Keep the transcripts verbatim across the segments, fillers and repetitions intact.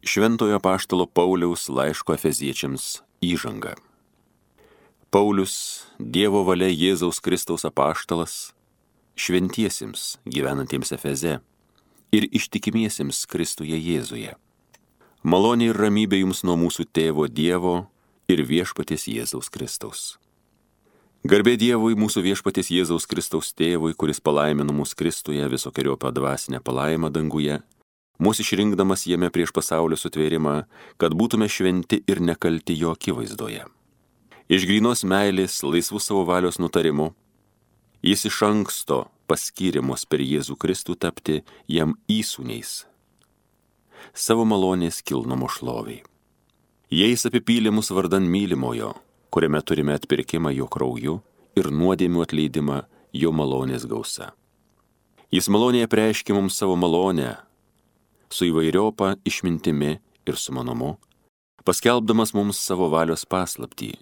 Šventojo apaštalo Pauliaus laiško Efeziečiams įžanga. Paulius, Dievo valia Jėzaus Kristaus apaštalas, šventiesiems gyvenantiems Efeze ir ištikimiesiems Kristuje Jėzuje. Malonė ir ramybė jums nuo mūsų tėvo Dievo ir viešpaties Jėzaus Kristaus. Garbė Dievui, mūsų viešpaties Jėzaus Kristaus tėvui, kuris palaimino mus Kristuje visokeriopą dvasinę palaimą danguje, mūsų išrinkdamas jame prieš pasaulio sutvėrimą, kad būtume šventi ir nekalti jo akivaizdoje. Iš grynos meilės, laisvų savo valios nutarimu, jis iš anksto paskyrė mus per Jėzų Kristų tapti jam įsūniais, savo malonės kilnumo šloviai. Jais apipylė mus vardan mylimojo, kuriame turime atpirkimą jo krauju ir nuodėmių atleidimą jo malonės gausa. Jis malonėje preiškė mums savo malonę, su įvairiopa išmintimi ir sumanumu, paskelbdamas mums savo valios paslaptį,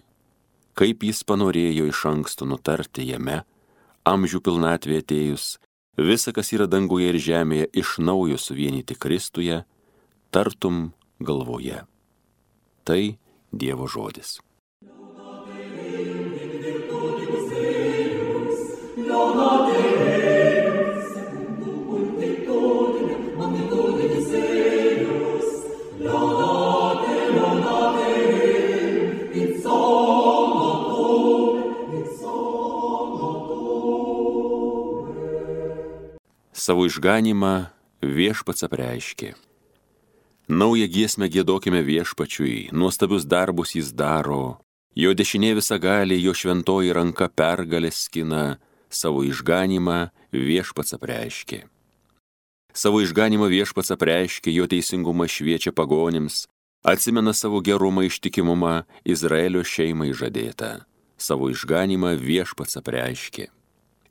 kaip jis panorėjo iš anksto nutarti jame, amžių pilnatvė atėjus, visa, kas yra danguje ir žemėje, iš naujo suvienyti Kristuje, tartum galvoje. Tai Dievo žodis. Savo išganymą viešpats apreiškė. Naują giesmę giedokime viešpačiui, nuostabius darbus jis daro, jo dešinė visagalė, jo šventoji ranka pergalės skina, savo išganymą viešpats apreiškė. Savo išganymą viešpats apreiškė, jo teisingumą šviečia pagonims, atsimena savo gerumą ištikimumą Izraelio šeimai žadėtą. Savo išganymą viešpats apreiškė.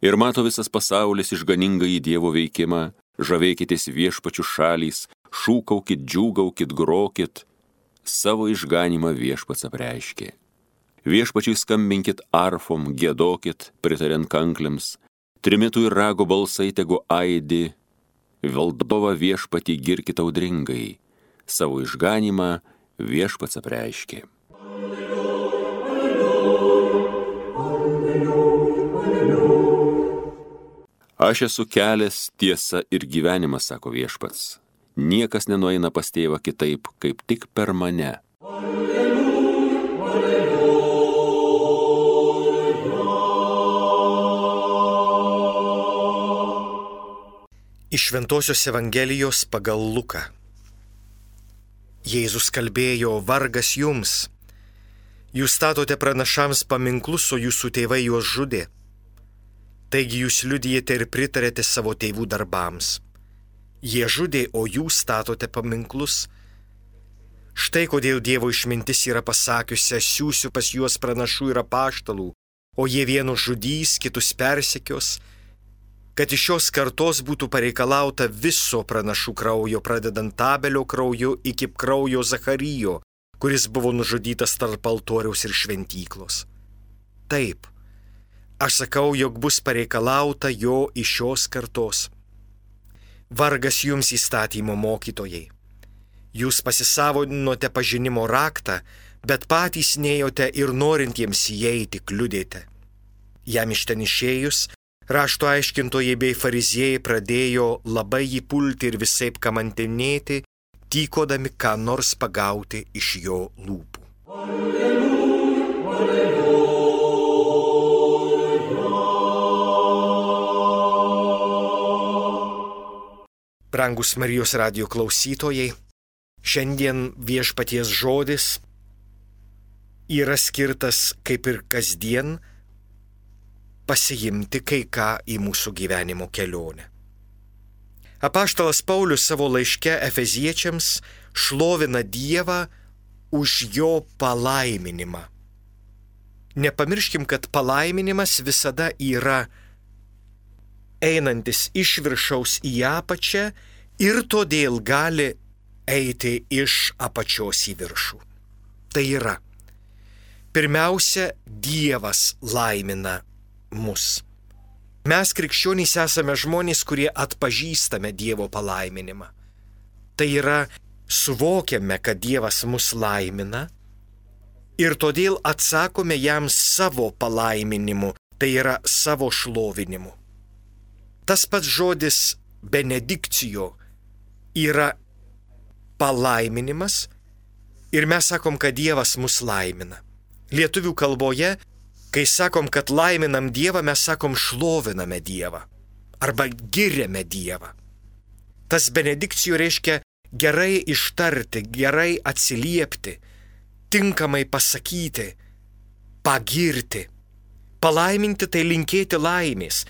Ir mato visas pasaulis išganingąjį Dievo veikimą, žavėkitės viešpačių šalys, šūkaukit, džiūgaukit, grokit, savo išganymą viešpats apreiškė. Viešpačiui skambinkit arfom, giedokit, pritariant kanklėms, trimitų ir rago balsai tegu aidi, valdovą viešpatį girkit audringai, savo išganymą viešpats apreiškė. Aš esu kelias, tiesa ir gyvenimas, sako viešpats. Niekas nenueina pas tėvą kitaip, kaip tik per mane. Iš Šventosios Evangelijos pagal Luką. Jėzus kalbėjo, vargas jums. Jūs statote pranašams paminklus, o jūsų tėvai juos žudė. Taigi jūs liudijate ir pritarėte savo tėvų darbams. Jie žudė, o jūs statote paminklus. Štai kodėl Dievo išmintis yra pasakiusi, siųsiu pas juos pranašų ir apaštalų, o jie vienus žudys, kitus persekios, kad iš šios kartos būtų pareikalauta viso pranašų kraujo, pradedant Abelio krauju iki kraujo Zacharijo, kuris buvo nužudytas tarp altoriaus ir šventyklos. Taip, aš sakau, jog bus pareikalauta jo iš šios kartos. Vargas jums įstatymo mokytojai. Jūs pasisavinote pažinimo raktą, bet patys nėjote ir norintiems įeiti kliudėte. Jam iš ten išėjus, rašto aiškintojai bei fariziejai pradėjo labai jį pulti ir visaip kamantinėti, tykodami ką nors pagauti iš jo lūpų. Alleluja, alleluja. Brangus Marijos radijo klausytojai, šiandien viešpaties žodis yra skirtas, kaip ir kasdien, pasiimti kai ką į mūsų gyvenimo kelionę. Apaštalas Paulius savo laiške Efeziečiams šlovina Dievą už jo palaiminimą. Nepamirškim, kad palaiminimas visada yra einantis iš viršaus į apačią ir todėl gali eiti iš apačios į viršų. Tai yra, pirmiausia, Dievas laimina mus. Mes krikščionys esame žmonės, kurie atpažįstame Dievo palaiminimą. Tai yra suvokiame, kad Dievas mus laimina ir todėl atsakome jam savo palaiminimu, tai yra savo šlovinimu. Tas pats žodis benedikcijo yra palaiminimas ir mes sakom, kad Dievas mus laimina. Lietuvių kalboje, kai sakom, kad laiminam Dievą, mes sakom šloviname Dievą arba giriame Dievą. Tas benedikcijų reiškia gerai ištarti, gerai atsiliepti, tinkamai pasakyti, pagirti. Palaiminti tai linkėti laimės.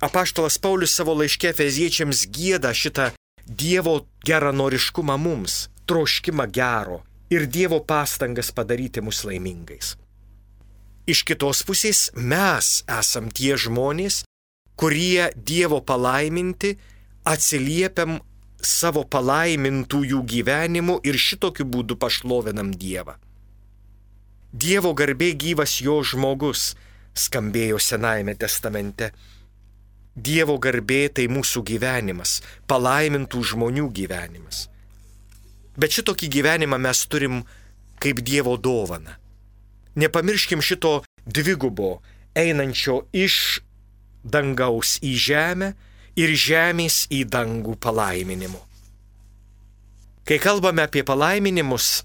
Apaštalas Paulius savo laiške Efeziečiams gieda šitą Dievo geranoriškumą mums, troškimą gero ir Dievo pastangas padaryti mus laimingais. Iš kitos pusės mes esam tie žmonės, kurie Dievo palaiminti atsiliepiam savo palaimintųjų gyvenimu ir šitokiu būdu pašlovinam Dievą. Dievo garbė gyvas jo žmogus, skambėjo Senajame testamente. Dievo garbė tai mūsų gyvenimas, palaimintų žmonių gyvenimas. Bet šitokį gyvenimą mes turim kaip Dievo dovaną. Nepamirškim šito dvigubo, einančio iš dangaus į žemę ir žemės į dangų palaiminimo. Kai kalbame apie palaiminimus,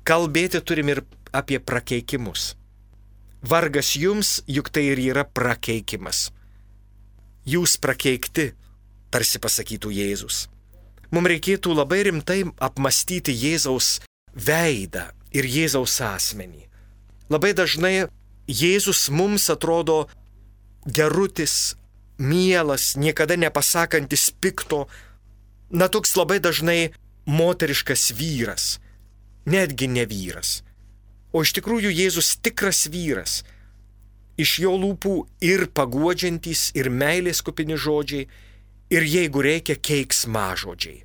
kalbėti turim ir apie prakeikimus. Vargas jums, juk tai ir yra prakeikimas. Jūs prakeikti, tarsi pasakytų Jėzus. Mums reikėtų labai rimtai apmastyti Jėzaus veidą ir Jėzaus asmenį. Labai dažnai Jėzus mums atrodo gerutis, mielas, niekada nepasakantis pikto, na toks labai dažnai moteriškas vyras, netgi ne vyras. O iš tikrųjų Jėzus tikras vyras. Iš jo lūpų ir paguodžiantys, ir meilės kupini žodžiai, ir jeigu reikia keiksmažodžiai.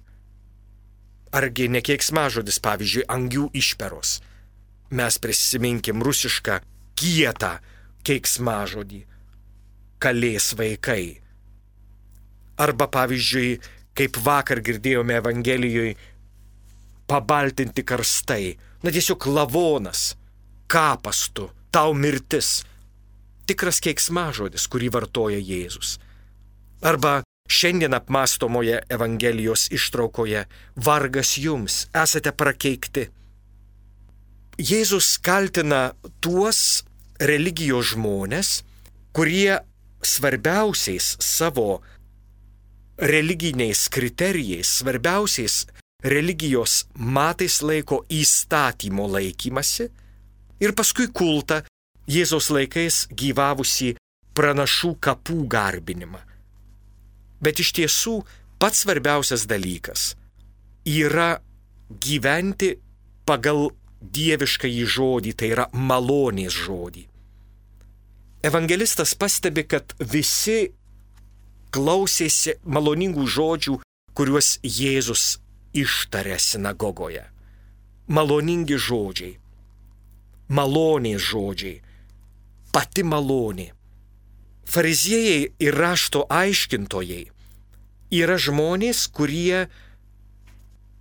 Argi ne keiksmažodis, pavyzdžiui, angių išperos. Mes prisiminkim rusišką kietą keiksmažodį. Kalės vaikai. Arba pavyzdžiui, kaip vakar girdėjome Evangelijoje, pabaltinti karstai. Na tiesiog lavonas, kapas tu, tau mirtis. Tikras keiksmažodis, kurį vartoja Jėzus. Arba šiandien apmastomoje Evangelijos ištraukoje vargas jums, esate prakeikti. Jėzus kaltina tuos religijos žmonės, kurie svarbiausiais savo religiniais kriterijais, svarbiausiais religijos matais laiko įstatymo laikymasi ir paskui kultą Jėzaus laikais gyvavusi pranašų kapų garbinimą. Bet iš tiesų pats svarbiausias dalykas yra gyventi pagal dieviškąjį žodį, tai yra malonės žodį. Evangelistas pastebi, kad visi klausėsi maloningų žodžių, kuriuos Jėzus ištarė sinagogoje. Maloningi žodžiai, malonės žodžiai, pati malonė. Fariziejai ir rašto aiškintojai yra žmonės, kurie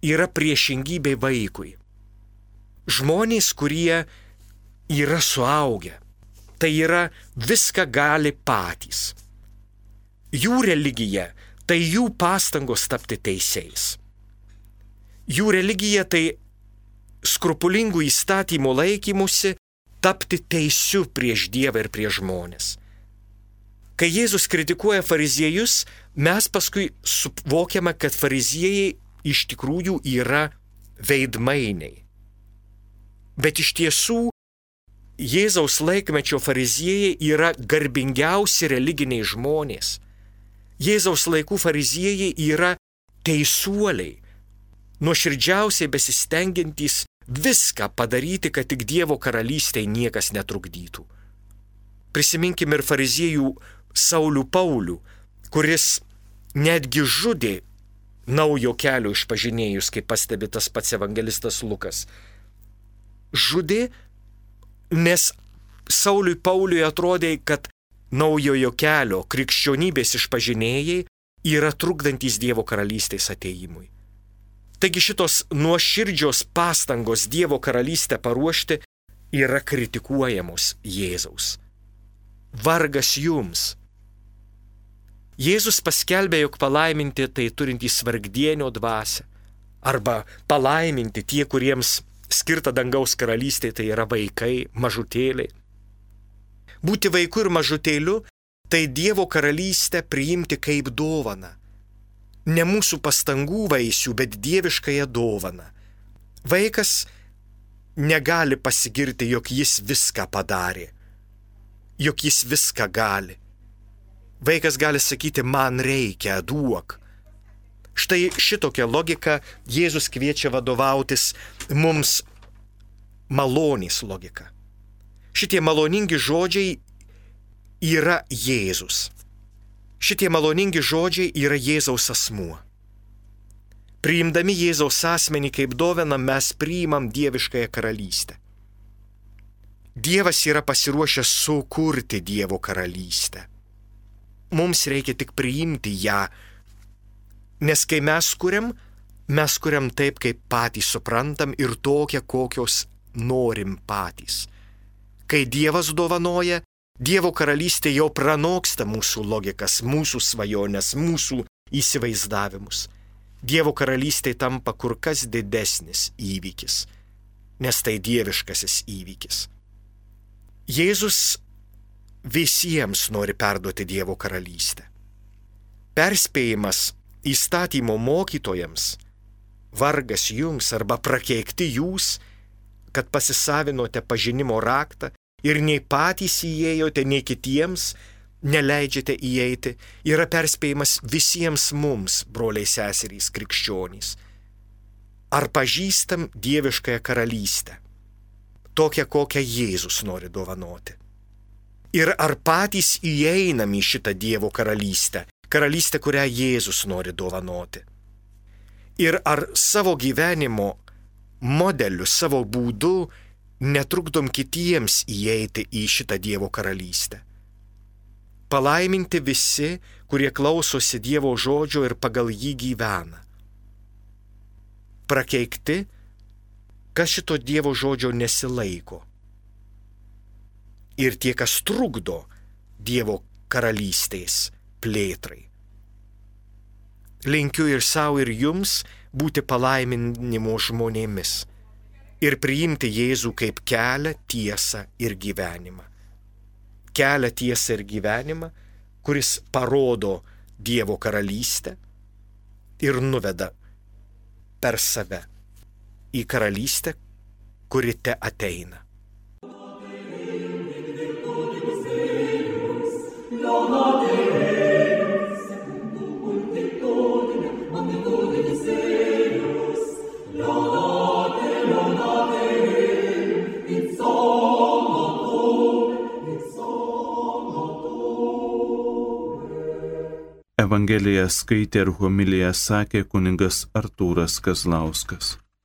yra priešingybė vaikui. Žmonės, kurie yra suaugę, tai yra viską gali patys. Jų religija tai jų pastangos tapti teisėjais. Jų religija tai skrupulingų įstatymų laikymusi tapti teisiu prieš Dievą ir prieš žmonės. Kai Jėzus kritikuoja fariziejus, mes paskui suvokiame, kad fariziejai iš tikrųjų yra veidmainiai. Bet iš tiesų Jėzaus laikmečio fariziejai yra garbingiausi religiniai žmonės. Jėzaus laikų fariziejai yra teisuoliai, nuoširdžiausiai besistengiantys viską padaryti, kad tik Dievo karalystei niekas netrukdytų. Prisiminkim ir fariziejų Saulių Paulių, kuris netgi žudė naujo kelio išpažinėjus, kaip pastebi tas pats evangelistas Lukas. Žudė, nes Sauliui Pauliui atrodė, kad naujojo kelio krikščionybės išpažinėjai yra trukdantys Dievo karalystės atėjimui. Taigi šitos nuoširdžios pastangos Dievo karalystę paruošti yra kritikuojamos Jėzaus. Vargas jums. Jėzus paskelbė, jog palaiminti tai turintys vargdienio dvasią, arba palaiminti tie, kuriems skirta dangaus karalystė, tai yra vaikai, mažutėliai. Būti vaiku ir mažutėliu tai Dievo karalystę priimti kaip dovaną. Ne mūsų pastangų vaisių, bet dieviškąją dovaną. Vaikas negali pasigirti, jog jis viską padarė, jog jis viską gali. Vaikas gali sakyti, man reikia, duok. Štai šitokia logika Jėzus kviečia vadovautis mums malonės logika. Šitie maloningi žodžiai yra Jėzus. Šitie maloningi žodžiai yra Jėzaus asmuo. Priimdami Jėzaus asmenį kaip dovaną mes priimam dieviškąją karalystę. Dievas yra pasiruošęs sukurti Dievo karalystę. Mums reikia tik priimti ją, nes kai mes kuriam, mes kuriam taip, kaip patys suprantam ir tokią, kokios norim patys. Kai Dievas dovanoja, Dievo karalystė jau pranoksta mūsų logikas, mūsų svajonės, mūsų įsivaizdavimus. Dievo karalystė tampa kur kas didesnis įvykis, nes tai dieviškasis įvykis. Jėzus visiems nori perduoti Dievo karalystę. Perspėjimas įstatymo mokytojams, vargas jums arba prakeikti jūs, kad pasisavinote pažinimo raktą ir nei patys įėjote, nei kitiems neleidžiate įeiti, yra perspėjimas visiems mums, broliai seserys krikščionys. Ar pažįstam dieviškąją karalystę, tokią, kokią Jėzus nori dovanoti? Ir ar patys įeinam į šitą Dievo karalystę, karalystę, kurią Jėzus nori dovanoti? Ir ar savo gyvenimo modeliu, savo būdu netrukdom kitiems įeiti į šitą Dievo karalystę? Palaiminti visi, kurie klausosi Dievo žodžio ir pagal jį gyvena. Prakeikti, kas šito Dievo žodžio nesilaiko. Ir tie, kas trukdo Dievo karalystės plėtrai. Linkiu ir savo, ir jums būti palaiminimo žmonėmis ir priimti Jėzų kaip kelią, tiesą ir gyvenimą. Kelią, tiesą ir gyvenimą, kuris parodo Dievo karalystę ir nuveda per save į karalystę, kuri te ateina. Evangeliją skaitė ir homiliją sakė kunigas Artūras Kazlauskas.